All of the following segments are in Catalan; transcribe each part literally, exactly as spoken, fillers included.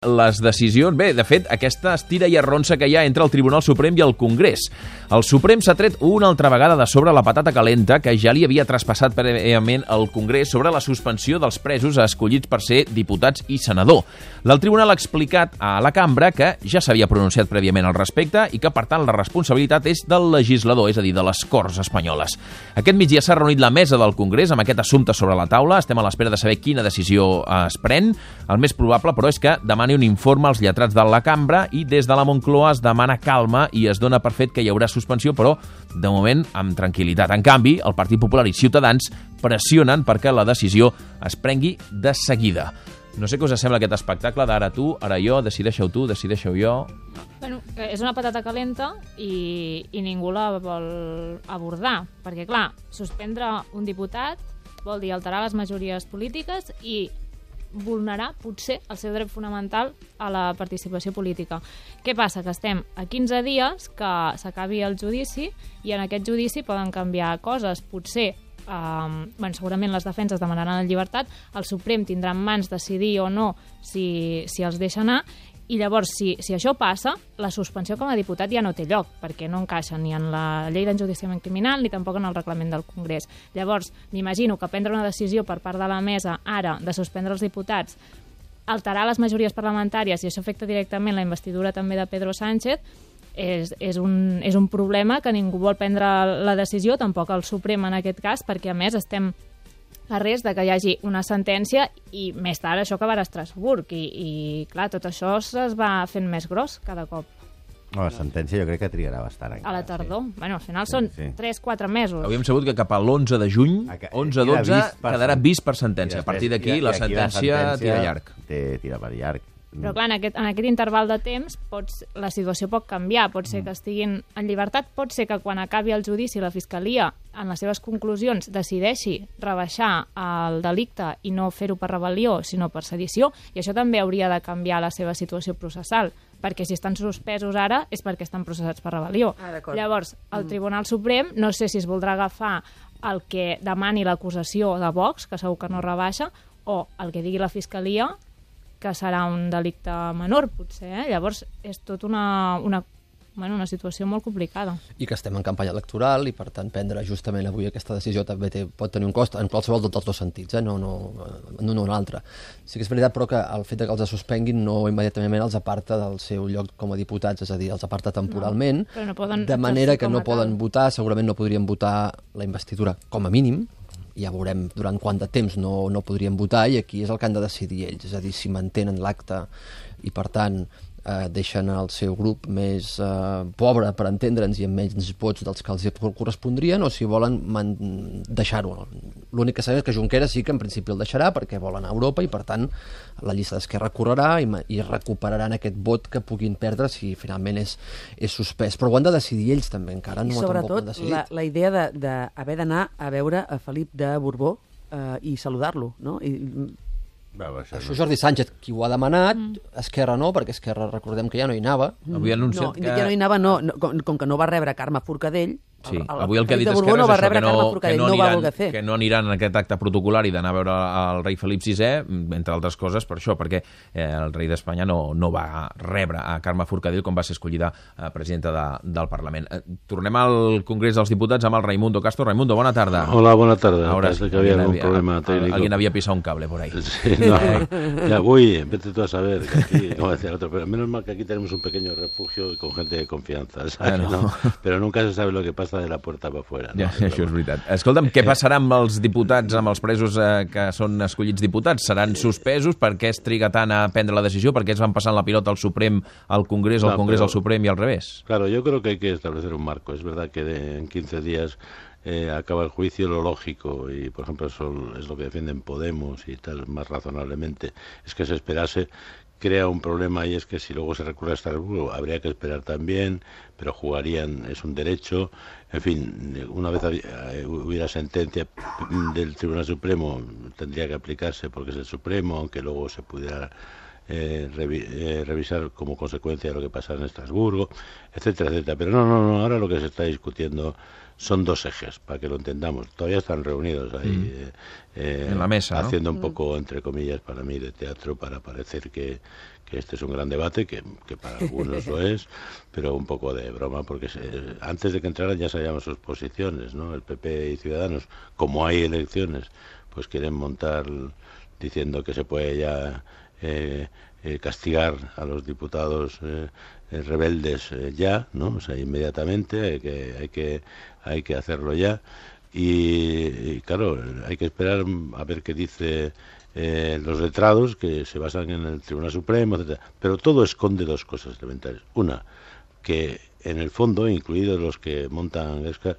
les decisions... Bé, de fet, aquesta estira i arronsa que hi ha entre el Tribunal Suprem i el Congrés. El Suprem s'ha tret una altra vegada de sobre la patata calenta que ja li havia traspassat prèviament al Congrés sobre la suspensió dels presos escollits per ser diputats i senador. El Tribunal ha explicat a la cambra que ja s'havia pronunciat prèviament al respecte i que, per tant, la responsabilitat és del legislador, és a dir, de les Corts espanyoles. Aquest migdia s'ha reunit la mesa del Congrés amb aquest assumpte sobre la taula. Estem a l'espera de saber quina decisió es pren. El més probable, però, és que demani un informe als lletrats de la cambra i des de la Moncloa es demana calma i es dona per fet que hi haurà suspensió, però de moment amb tranquil·litat. En canvi, el Partit Popular i Ciutadans pressionen perquè la decisió es prengui de seguida. No sé què us sembla aquest espectacle d'ara tu, ara jo, decideixeu tu, decideixeu jo... Bueno, és una patata calenta i, i ningú la vol abordar, perquè, clar, suspendre un diputat vol dir alterar les majories polítiques i vulnerar, potser, el seu dret fonamental a la participació política. Què passa? Que estem a quinze dies que s'acabi el judici i en aquest judici poden canviar coses. Potser, eh, bueno, segurament les defenses demanaran la llibertat, el Suprem tindrà en mans decidir o no si, si els deixa anar, i llavors, si, si això passa, la suspensió com a diputat ja no té lloc, perquè no encaixa ni en la llei d'enjudiciament criminal ni tampoc en el reglament del Congrés. Llavors, m'imagino que prendre una decisió per part de la mesa ara de suspendre els diputats, alterar les majories parlamentàries, i això afecta directament la investidura també de Pedro Sánchez, és, és, un, és un problema que ningú vol prendre la decisió, tampoc el Suprem en aquest cas, perquè a més estem a res de que hi hagi una sentència i més tard això acabarà a Estrasburg i, i clar, tot això es va fent més gros cada cop. Oh, la sentència jo crec que trigarà bastant encara. A la tardor. Sí. Bueno, al final sí, són sí. tres quatre mesos. Havíem sabut que cap a l'onze de juny, onze dotze, quedarà vist per sentència. A partir d'aquí la sentència tira llarg. Tira per llarg. Però clar, en aquest, en aquest interval de temps pots, la situació pot canviar, pot ser que estiguin en llibertat, pot ser que quan acabi el judici la Fiscalia en les seves conclusions decideixi rebaixar el delicte i no fer-ho per rebel·lió sinó per sedició, i això també hauria de canviar la seva situació processal, perquè si estan suspesos ara és perquè estan processats per rebel·lió. Ah, Llavors, el Tribunal Suprem no sé si es voldrà agafar el que demani l'acusació de Vox, que segur que no rebaixa, o el que digui la Fiscalia, que serà un delicte menor, potser. Eh? Llavors, és tot una, una, bueno, una situació molt complicada. I que estem en campanya electoral i, per tant, prendre justament avui aquesta decisió també té, pot tenir un cost en qualsevol dels dos sentits, eh? no, no, no, no un altre. Sí que és veritat, però, que el fet que els suspenguin no immediatament els aparta del seu lloc com a diputats, és a dir, els aparta temporalment, no, no poden de manera que no tal. poden votar, segurament no podrien votar la investidura com a mínim, ja veurem durant quant de temps no, no podrien votar, i aquí és el que han de decidir ells, és a dir, si mantenen l'acte i, per tant, eh, deixen el seu grup més eh, pobre, per entendre'ns, i amb menys vots dels que els correspondrien, o si volen deixar-ho. L'únic que sabem és que Junqueras sí que en principi el deixarà perquè vol anar a Europa i, per tant, la llista d'Esquerra correrà i, i recuperaran aquest vot que puguin perdre si finalment és, és suspès. Però ho han de decidir ells també, encara no I sobretot la, la idea d'haver d'anar a veure a Felip de Borbó eh, i saludar-lo, no? I, Va, va, això Això no. Jordi Sánchez, qui ho ha demanat, mm. Esquerra no, perquè Esquerra recordem que ja no hi anava. Avui ha anunciat no, que... ja no hi anava, no, no com, com que no va rebre Carme Forcadell. Sí, el, el, avui el que ha dit Felip de Esquerra Borbó no va és això, rebre que no, Carme que Forcadell, no, no va aniran, voler fer. que no aniran en aquest acte protocolar i d'anar a veure el rei Felip sisè, entre altres coses, per això, perquè eh, el rei d'Espanya no, no va rebre a Carme Forcadell com va ser escollida eh, presidenta de, del Parlament. Eh, tornem al Congrés dels Diputats amb el Raimundo Castro. Raimundo, bona tarda. Hola, bona tarda. Ahora Parece sí, que había algún había, problema técnico. Alguien había pisado un cable por ahí. Sí, no, ya voy, vete tú a saber que aquí, como decía el otro, pero menos mal que aquí tenemos un pequeño refugio con gente de confianza, ¿sabes? Ah, no. No, pero nunca se sabe lo que pasa de la puerta para afuera. ¿No? Ja, això és veritat. Escolta'm, què passarà amb els diputats, amb els presos eh, que són escollits diputats? Seran suspesos? Per què es triga tant a prendre la decisió? Per què es van passant la pilota al Suprem, al Congrés, al No, Congrés, pero, al Suprem y al revés? Claro, yo creo que hay que establecer un marco. Es verdad que de, en quince días eh, acaba el juicio, lo lógico, y por ejemplo eso es lo que defienden Podemos y tal, más razonablemente, es que se esperase. Crea un problema, y es que si luego se recurre a Estrasburgo habría que esperar también, pero jugarían, es un derecho. En fin, una vez hubiera sentencia del Tribunal Supremo tendría que aplicarse porque es el Supremo, aunque luego se pudiera eh, revi eh, revisar como consecuencia de lo que pasa en Estrasburgo, etcétera, etcétera. Pero no, no, no, ahora lo que se está discutiendo son dos ejes, para que lo entendamos. Todavía están reunidos ahí Mm. eh, eh, en la mesa, ¿no? haciendo un poco, entre comillas, para mí, de teatro, para parecer que, que este es un gran debate, que, que para algunos lo es, pero un poco de broma, porque se, antes de que entraran ya sabíamos sus posiciones, ¿no? El P P y Ciudadanos, como hay elecciones, pues quieren montar diciendo que se puede ya eh, eh, castigar a los diputados eh, eh, rebeldes eh, ya, ¿no? O sea, inmediatamente hay que hay que hay que hacerlo ya y, y claro, hay que esperar a ver qué dice eh, los letrados, que se basan en el Tribunal Supremo, etcétera. Pero todo esconde dos cosas elementales. Una, que en el fondo, incluidos los que montan Esca,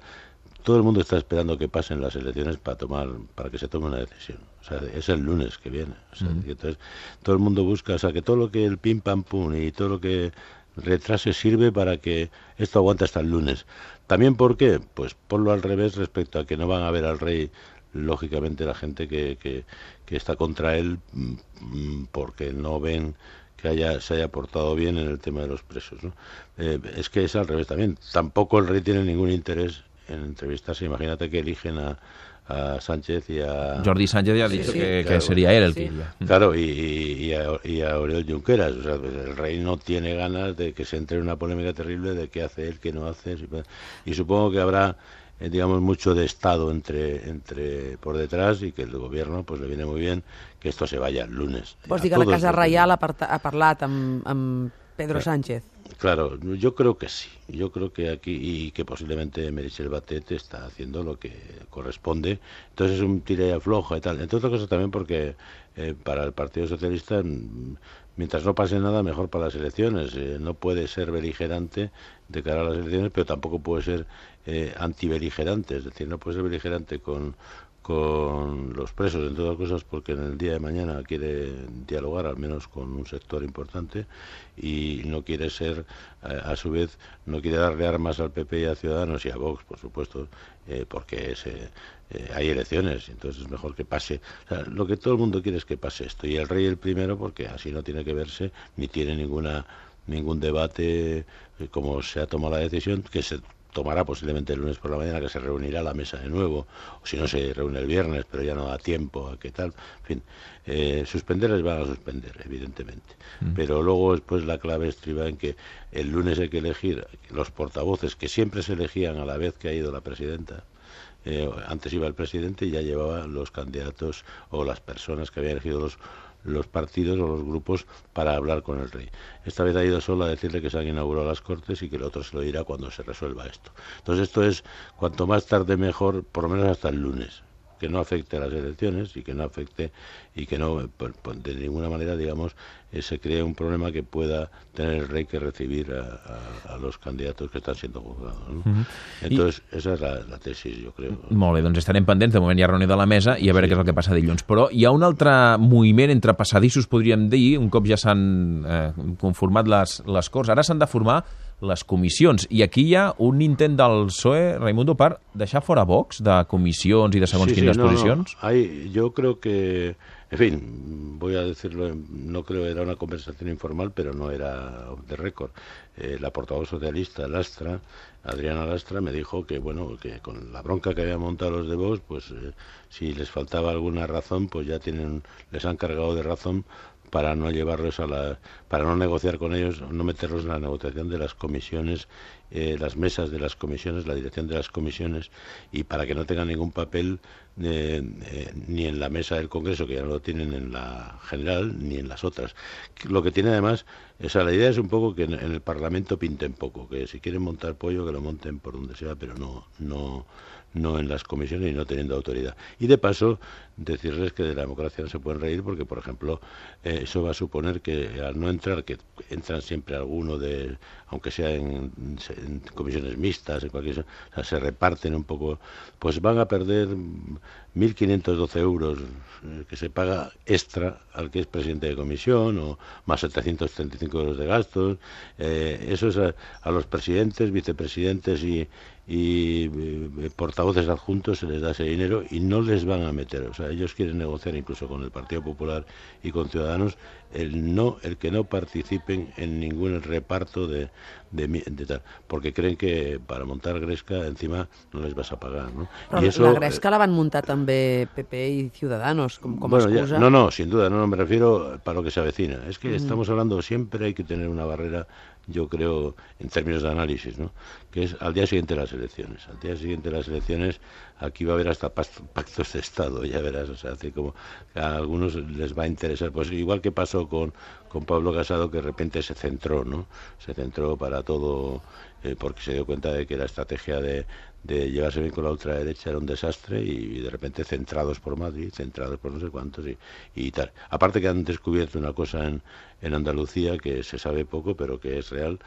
todo el mundo está esperando que pasen las elecciones para tomar, para que se tome una decisión. O sea, es el lunes que viene. O sea, Mm. que entonces todo el mundo busca, o sea, que todo lo que el pim pam pum y todo lo que retrase sirve para que esto aguante hasta el lunes. También, ¿por qué? Pues ponlo al revés respecto a que no van a ver al rey, lógicamente, la gente que, que, que está contra él, mm, porque no ven que haya, se haya portado bien en el tema de los presos, ¿no? Eh, es que es al revés también. Tampoco el rey tiene ningún interés en entrevistarse. Imagínate que eligen a, a Sánchez y a... Jordi Sánchez ya ha Sí, dicho sí, que, que claro. sería él el Sí. que iría. Claro, y, y, y a, y a Oriol Junqueras. O sea, el rey no tiene ganas de que se entre en una polémica terrible de qué hace él, qué no hace. Y supongo que habrá, eh, digamos, mucho de Estado entre, entre por detrás, y que el gobierno pues le viene muy bien que esto se vaya el lunes. Vols A dir que la todos Casa los- Reial ha, parta- ha parlat amb, amb Pedro Claro. Sánchez? Claro, yo creo que sí. Yo creo que aquí, y que posiblemente Meritxell Batet está haciendo lo que corresponde. Entonces es un tira y afloja y tal. Entre otras cosas también porque eh, para el Partido Socialista, mm, mientras no pase nada, mejor para las elecciones. Eh, no puede ser beligerante de cara a las elecciones, pero tampoco puede ser eh, antibeligerante. Es decir, no puede ser beligerante con con los presos, entre otras cosas, porque en el día de mañana quiere dialogar al menos con un sector importante, y no quiere ser, a, a su vez, no quiere darle armas al P P y a Ciudadanos y a Vox, por supuesto, eh, porque es, eh, eh, hay elecciones, entonces es mejor que pase. O sea, lo que todo el mundo quiere es que pase esto, y el rey el primero, porque así no tiene que verse, ni tiene ninguna ningún debate, eh, como se ha tomado la decisión, que se tomará posiblemente el lunes por la mañana, que se reunirá la mesa de nuevo, o si no se reúne el viernes, pero ya no da tiempo a qué tal. En fin, eh, suspenderles van a suspender, evidentemente. Mm. Pero luego después la clave estriba en que el lunes hay que elegir los portavoces, que siempre se elegían a la vez que ha ido la presidenta. Eh, antes iba el presidente y ya llevaba los candidatos o las personas que habían elegido los los partidos o los grupos para hablar con el rey. Esta vez ha ido solo a decirle que se han inaugurado las Cortes y que el otro se lo dirá cuando se resuelva esto. Entonces esto es, cuanto más tarde mejor, por lo menos hasta el lunes, que no afecte a las elecciones y que no afecte y que no, de ninguna manera, digamos, eh, se cree un problema que pueda tener el rey que recibir a, a, a los candidatos que están siendo juzgados, ¿no? Uh-huh. Entonces, I... esa és la, la tesis, jo crec. Molt bé, doncs estarem pendents. De moment hi ha reunió de la mesa i a veure sí. què és el que passa dilluns. Però hi ha un altre moviment entre passadissos, podríem dir, un cop ja s'han eh, conformat les, les Corts. Ara s'han de formar les comissions, i aquí hi ha un intent del P S O E, Raimundo, per deixar fora Vox de comissions i de segons sí, quines sí, no, posicions. No. Hay, yo creo que, en fin, voy a decirlo, no creo que era una conversación informal, pero no era off the record. Eh, la portavoz socialista, Lastra, Adriana Lastra, me dijo que, bueno, que con la bronca que habían montado los de Vox, pues eh, si les faltaba alguna razón, pues ya tienen, les han cargado de razón para no llevarlos a la, para no negociar con ellos, no meterlos en la negociación de las comisiones, eh, las mesas de las comisiones, la dirección de las comisiones, y para que no tengan ningún papel eh, eh, ni en la mesa del Congreso, que ya no lo tienen en la general, ni en las otras. Lo que tiene además, o sea, la idea es un poco que en, en el Parlamento pinten poco, que si quieren montar pollo, que lo monten por donde sea, pero no, no, no en las comisiones y no teniendo autoridad. Y de paso, decirles que de la democracia no se pueden reír porque, por ejemplo, eh, eso va a suponer que al no entrar, que entran siempre alguno de, aunque sea en, en comisiones mixtas, en cualquier, o sea, se reparten un poco, pues van a perder mil quinientos doce euros que se paga extra al que es presidente de comisión, o más setecientos treinta y cinco euros de gastos. Eh, eso es a, a los presidentes, vicepresidentes y, y eh, portavoces adjuntos se les da ese dinero y no les van a meter. O sea, ellos quieren negociar incluso con el Partido Popular y con Ciudadanos el no, el que no participen en ningún reparto de, de, de tal, porque creen que para montar Gresca encima no les vas a pagar, ¿no? Però y eso, la Gresca la van muntar també P P i Ciudadanos com, com bueno, excusa. Ya, no, no, sin duda, no, no me refiero para lo que se avecina. Es que mm. estamos hablando, siempre hay que tener una barrera, yo creo, en términos de análisis, ¿no? Que es al día siguiente de las elecciones. Al día siguiente de las elecciones, aquí va a haber hasta pactos de Estado, ya verás, o sea, así como a algunos les va a interesar, pues igual que pasó con, con Pablo Casado, que de repente se centró, ¿no? Se centró para todo, eh, porque se dio cuenta de que la estrategia de, de llevarse bien con la ultraderecha era un desastre, y, y de repente centrados por Madrid, centrados por no sé cuántos y, y tal. Aparte que han descubierto una cosa en, en Andalucía que se sabe poco, pero que es real,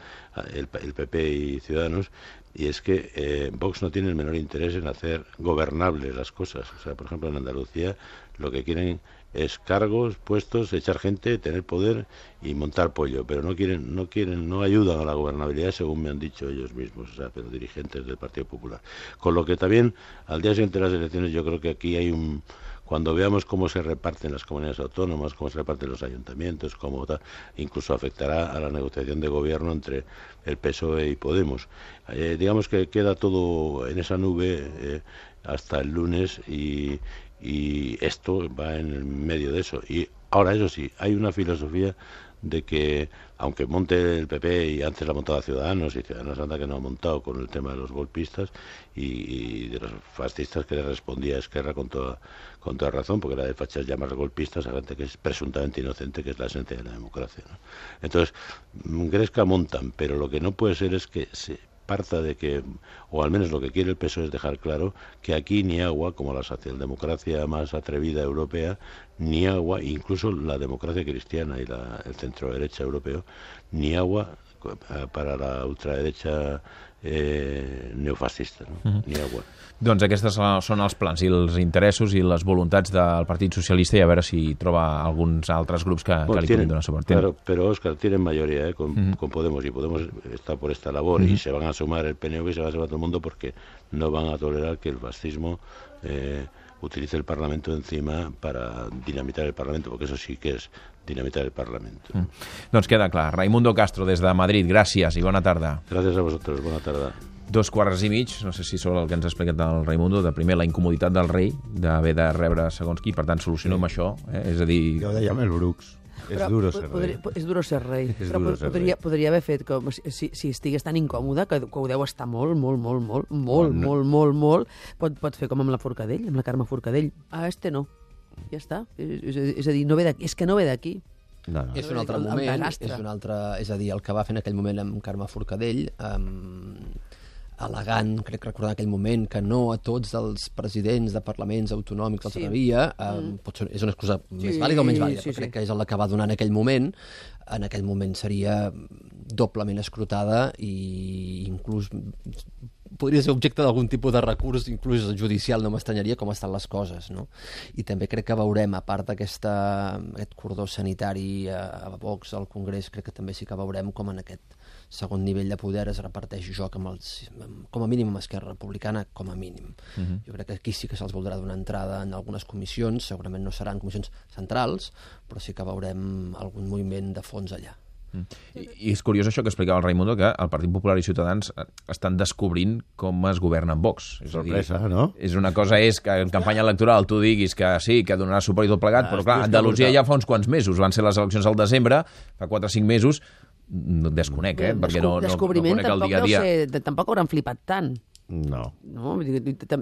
el, el P P y Ciudadanos, y es que eh, Vox no tiene el menor interés en hacer gobernables las cosas. O sea, por ejemplo, en Andalucía lo que quieren es cargos, puestos, echar gente, tener poder y montar pollo, pero no quieren, no quieren, no ayudan a la gobernabilidad, según me han dicho ellos mismos, o sea, pero dirigentes del Partido Popular. Con lo que también, al día siguiente de las elecciones, yo creo que aquí hay un... Cuando veamos cómo se reparten las comunidades autónomas, cómo se reparten los ayuntamientos, cómo tal, incluso afectará a la negociación de gobierno entre el P S O E y Podemos. Eh, digamos que queda todo en esa nube eh, hasta el lunes, y, y esto va en el medio de eso. Y ahora, eso sí, hay una filosofía de que, aunque monte el P P, y antes la ha montado Ciudadanos, y Ciudadanos anda que no ha montado con el tema de los golpistas y, y de los fascistas, que le respondía a Esquerra con toda, con toda razón, porque era de fachas llamar golpistas a gente que es presuntamente inocente, que es la esencia de la democracia, ¿no? Entonces, Gresca montan, pero lo que no puede ser es que se parta de que, o al menos lo que quiere el P S O E es dejar claro que aquí ni agua, como la socialdemocracia más atrevida europea, ni agua, incluso la democracia cristiana y la, el centro derecha europeo, ni agua para la ultraderecha eh, neofascista, no? Uh-huh. Ni agua. Doncs aquests són els plans i els interessos i les voluntats del Partit Socialista, i a veure si troba alguns altres grups que, bueno, que li puguin donar suport. Claro, pero Óscar, tienen mayoría, ¿eh? con, uh-huh. con Podemos, y Podemos está por esta labor, uh-huh. y se van a sumar el P N V y se va a sumar todo el mundo, porque no van a tolerar que el fascismo eh, utilice el Parlamento encima para dinamitar el Parlamento, porque eso sí que es dinamitar el Parlamento. Mm. Doncs queda clar. Raimundo Castro, des de Madrid, gràcies i bona tarda. Gràcies a vosaltres, bona tarda. Dos quarts i mig, no sé si sobre el que ens ha explicat el Raimundo, de primer la incomoditat del rei d'haver de rebre segons qui, per tant solucionem sí. això, eh? És a dir... Ja ho deia Mel Brooks. És però, duro ser rei. Podria, és duro ser rei. És però duro ser podria, rei. podria haver fet com si, si estigués tan incòmode, que, que ho deu estar molt, molt, molt, molt, molt, no. molt, molt, molt, pot, pot fer com amb la Forcadell, amb la Carme Forcadell. Ah, este no. Ja està. És, és, és a dir, no ve d'aquí. És que no ve d'aquí. No, no. És un altre el, moment, el és un altre, és a dir, el que va fer en aquell moment amb Carme Forcadell, um, al·legant, crec recordar en aquell moment, que no a tots els presidents de parlaments autonòmics els atrevia, sí. um, mm. pot ser, és una excusa sí, més vàlida o menys vàlida, sí, però crec sí. que és el que va donar en aquell moment. En aquell moment seria doblement escrutada i inclús podria ser objecte d'algun tipus de recurs, inclús judicial, no m'estranyaria com estan les coses, no? I també crec que veurem, a part d'aquest cordó sanitari a, a Vox, al Congrés, crec que també sí que veurem com en aquest segon nivell de poder es reparteix joc amb els, com a mínim amb Esquerra Republicana, com a mínim. Uh-huh. Jo crec que aquí sí que se'ls voldrà donar entrada en algunes comissions, segurament no seran comissions centrals, però sí que veurem algun moviment de fons allà. I, I és curiós això que explicava el Raimundo, que el Partit Popular i Ciutadans estan descobrint com es governa amb Vox. És sorpresa, dir, no? És una cosa és que en campanya electoral tu diguis que sí, que donarà suport i tot plegat, ah, però clar, Andalusia ja fa uns quants mesos, van ser les eleccions al desembre, fa quatre o cinc mesos, no et desconec, eh? Perquè no, no, no conec el dia a dia. Ser, tampoc hauran flipat tant. No. no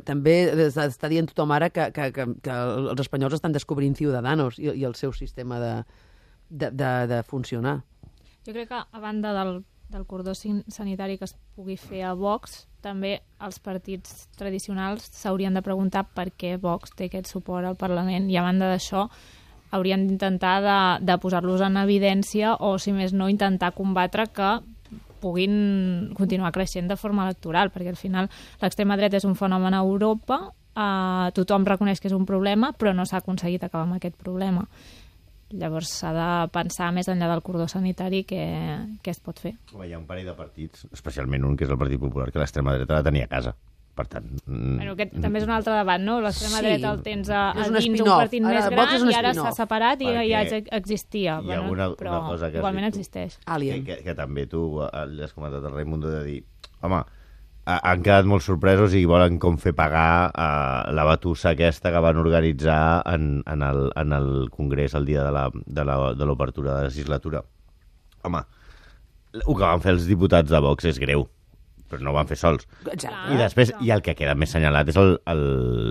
també està dient tothom ara que, que, que, que els espanyols estan descobrint Ciudadanos i, i el seu sistema de, de, de, de funcionar. Jo crec que, a banda del, del cordó sanitari que es pugui fer a Vox, també els partits tradicionals s'haurien de preguntar per què Vox té aquest suport al Parlament, i a banda d'això haurien d'intentar de, de posar-los en evidència, o si més no intentar combatre que puguin continuar creixent de forma electoral, perquè al final l'extrema dreta és un fenomen a Europa uh, tothom reconeix que és un problema, però no s'ha aconseguit acabar amb aquest problema. Llavors s'ha de pensar més enllà del cordó sanitari què, què es pot fer. Home, hi ha un parell de partits, especialment un que és el Partit Popular, que l'extrema dreta la tenia a casa. Per tant... Bueno, aquest també és un altre debat, no? L'extrema Sí. dreta el tens a, a És un dins un spin-off. partit Ara, més Vox gran és un i ara spin-off. s'ha separat i Perquè ja ex- existia. hi ha una- una però cosa que has igualment dit tu. existeix. Que, Alien. que, que també tu eh, li has comentat al Raimundo de dir, home, ha- han quedat molt sorpresos i volen com fer pagar uh, la batussa aquesta que van organitzar en, en, el, en el Congrés el dia de la- de la- de l'obertura de la legislatura. Home, el que van fer els diputats de Vox és greu, però no ho van fer sols. Exacte. I després, i el que queda més senyalat és el, el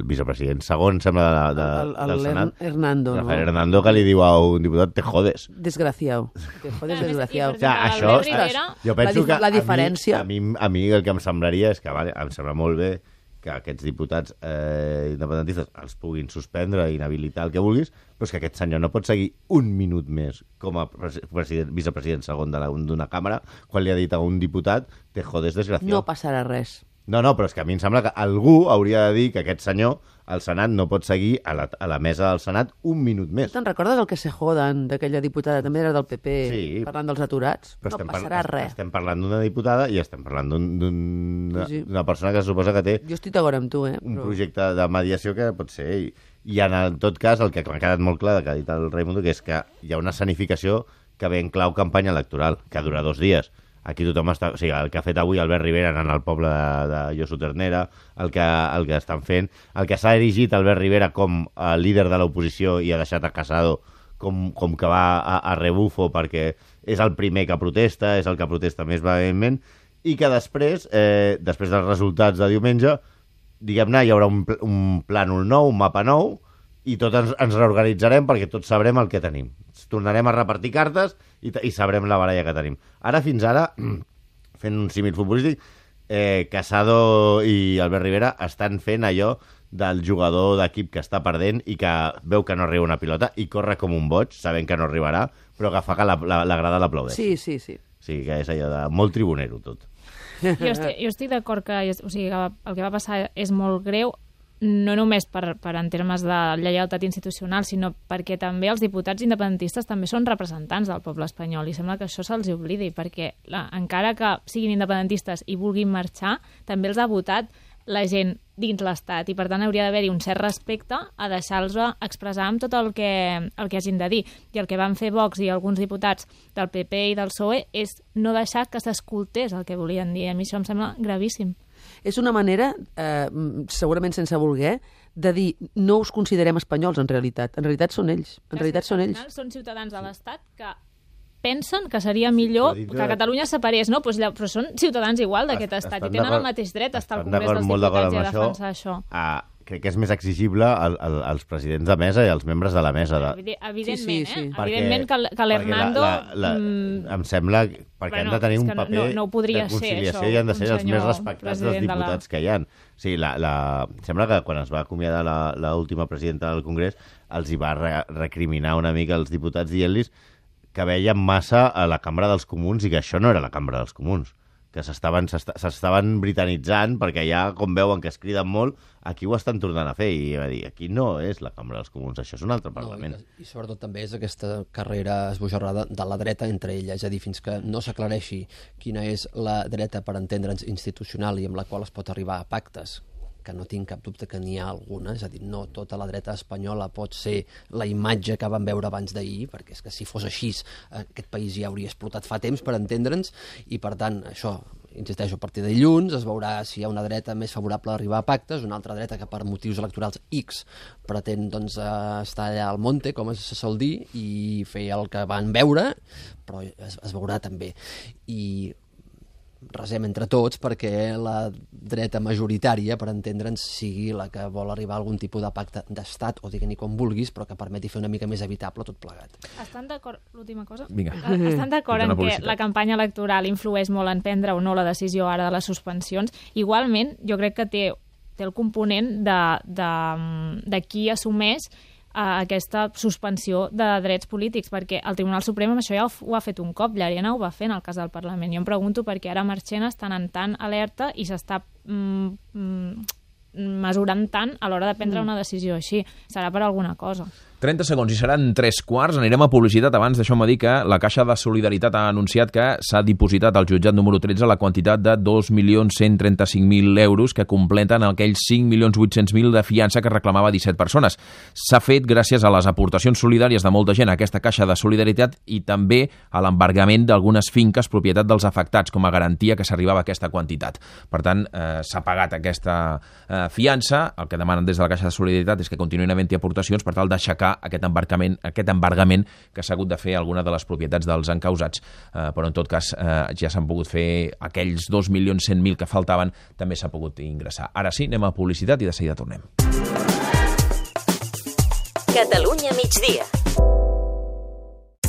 vicepresident segon, sembla, de, de, El- el- del Senat. el Hernando, no? Rafael Hernando, que li diu a un diputat, te jodes. Desgraciado. Te jodes, Clar, desgraciado. i O sigui, Albert això, Rivera- jo penso La dif- que la diferència- A mi, a mi, a mi el que em semblaria és que vale, em sembla molt bé que aquests diputats eh, independentistes els puguin suspendre, inhabilitar, el que vulguis, però és que aquest senyor no pot seguir un minut més com a pres president, vicepresident segon de la- d'una càmera quan li ha dit a un diputat te jodes, desgraciado. No passarà res. No, no, però és que a mi em sembla que algú hauria de dir que aquest senyor, al Senat, no pot seguir a la, a la mesa del Senat un minut més. Te'n recordes el que se joden d'aquella diputada, també era del P P, Sí. parlant dels aturats? Però No estem, passarà par res. estem parlant d'una diputada i estem parlant d'una un, d'una Sí, sí. d'una persona que se suposa que té Jo estic d'acord amb tu, eh? un Però... projecte de mediació que pot ser. I, i en el, tot cas, el que m'ha quedat molt clar, que ha dit el Raimundo, que és que hi ha una escenificació que ve en clau campanya electoral, que dura dos dies. Aquí tothom està... O sigui, el que ha fet avui Albert Rivera en el poble de, de Josu Ternera, el que, el que estan fent, el que s'ha erigit Albert Rivera com a líder de l'oposició i ha deixat a Casado com, com que va a, a rebufo perquè és el primer que protesta, és el que protesta més vehementment, i que després, eh, després dels resultats de diumenge, diguem-ne, hi haurà un, pl un plànol nou, un mapa nou, i tots ens, ens reorganitzarem perquè tots sabrem el que tenim. Tornarem a repartir cartes i, i sabrem la baralla que tenim. Ara, fins ara, fent un símil futbolístic, eh, Casado i Albert Rivera estan fent allò del jugador d'equip que està perdent i que veu que no arriba una pilota i corre com un boig, sabent que no arribarà, però que fa que la, la, la grada l'aplaudeix. Sí, sí, sí. Sí, que és allò de molt tribunero, tot. Jo estic, jo estic d'acord que, o sigui, que el que va passar és molt greu, no només per, per en termes de lleialtat institucional, sinó perquè també els diputats independentistes també són representants del poble espanyol i sembla que això se'ls oblidi, perquè la, encara que siguin independentistes i vulguin marxar, també els ha votat la gent dins l'Estat i per tant hauria d'haver-hi un cert respecte a deixar-los expressar amb tot el que, el que hagin de dir. I el que van fer Vox i alguns diputats del P P i del P S O E és no deixar que s'escoltés el que volien dir. A mi això em sembla gravíssim. És una manera, eh, segurament sense voler, de dir no us considerem espanyols en realitat. En realitat són ells. En realitat són ells. Són ciutadans de l'Estat que pensen que seria millor Però dintre que de- Catalunya es separés, no? Pues, però són ciutadans igual d'aquest Est- estat estan i tenen el d'acord- mateix dret a estar al estan Congrés d'acord, dels molt d'acord Diputats i a amb defensar això. Ah, crec que és més exigible al, al, als presidents de mesa i als membres de la mesa. De... Evide- Evidentment, Sí, sí, sí. eh? Evidentment que, l- que l'Hernando... Perquè la, la, la, mm, em sembla que- perquè bueno, han de tenir és un que no- paper no- no ho podria de ser, conciliació això, i han de un ser els més senyor respectats dels president de la- diputats que hi ha. Sí, la, la, sembla que quan es va acomiadar l'última presidenta del Congrés els hi va re, recriminar una mica als diputats dient-los que veien massa a la Cambra dels Comuns i que això no era la Cambra dels Comuns, que s'estaven s'estaven britanitzant perquè ja, com veuen que es criden molt, aquí ho estan tornant a fer i va dir, aquí no és la Cambra dels Comuns, això és un altre Parlament. No, i, I sobretot també és aquesta carrera esbojarrada de la dreta entre ella, és a dir, fins que no s'aclareixi quina és la dreta per entendre'ns institucional i amb la qual es pot arribar a pactes, que no tinc cap dubte que n'hi ha alguna, és a dir, no tota la dreta espanyola pot ser la imatge que vam veure abans d'ahir, perquè és que si fos així aquest país ja hauria explotat fa temps, per entendre'ns, i per tant, això, insisteixo, a partir de dilluns es veurà si hi ha una dreta més favorable a arribar a pactes, una altra dreta que per motius electorals X pretén doncs, estar allà al monte, com es sol dir, i fer el que van veure, però es, es veurà també. I resem entre tots perquè la dreta majoritària, per entendre'ns, sigui la que vol arribar a algun tipus de pacte d'estat, o digue-n'hi com vulguis, però que permeti fer una mica més evitable tot plegat. Estan d'acord, l'última cosa? Vinga. Estan d'acord Feta en una que publicitat. la campanya electoral influeix molt en prendre o no la decisió ara de les suspensions. Igualment, jo crec que té, té el component de, de, de qui assumeix a aquesta suspensió de drets polítics, perquè el Tribunal Suprem amb això ja ho, ho ha fet un cop, Llarena ho va fer en el cas del Parlament. Jo em pregunto per què ara Marchena està en tant alerta i s'està mm, mm, mesurant tant a l'hora de prendre una decisió així. Serà per alguna cosa. trenta segons i seran tres quarts. Anirem a publicitat. Abans deixeu-me dir que la Caixa de Solidaritat ha anunciat que s'ha dipositat al jutjat número tretze la quantitat de dos milions cent trenta-cinc mil euros que completen aquells cinc milions vuit-cents mil de fiança que reclamava disset persones. S'ha fet gràcies a les aportacions solidàries de molta gent a aquesta Caixa de Solidaritat i també a l'embargament d'algunes finques propietat dels afectats com a garantia que s'arribava a aquesta quantitat. Per tant, eh, s'ha pagat aquesta eh, fiança. El que demanen des de la Caixa de Solidaritat és que continuïn havent-hi aportacions per tal d'aixecar aquest embargament, aquest embargament que s'ha hagut de fer alguna de les propietats dels encausats, eh, però en tot cas eh, ja s'han pogut fer aquells dos milions cent mil que faltaven, també s'ha pogut ingressar. Ara sí, anem a publicitat i de seguida tornem. Catalunya migdia.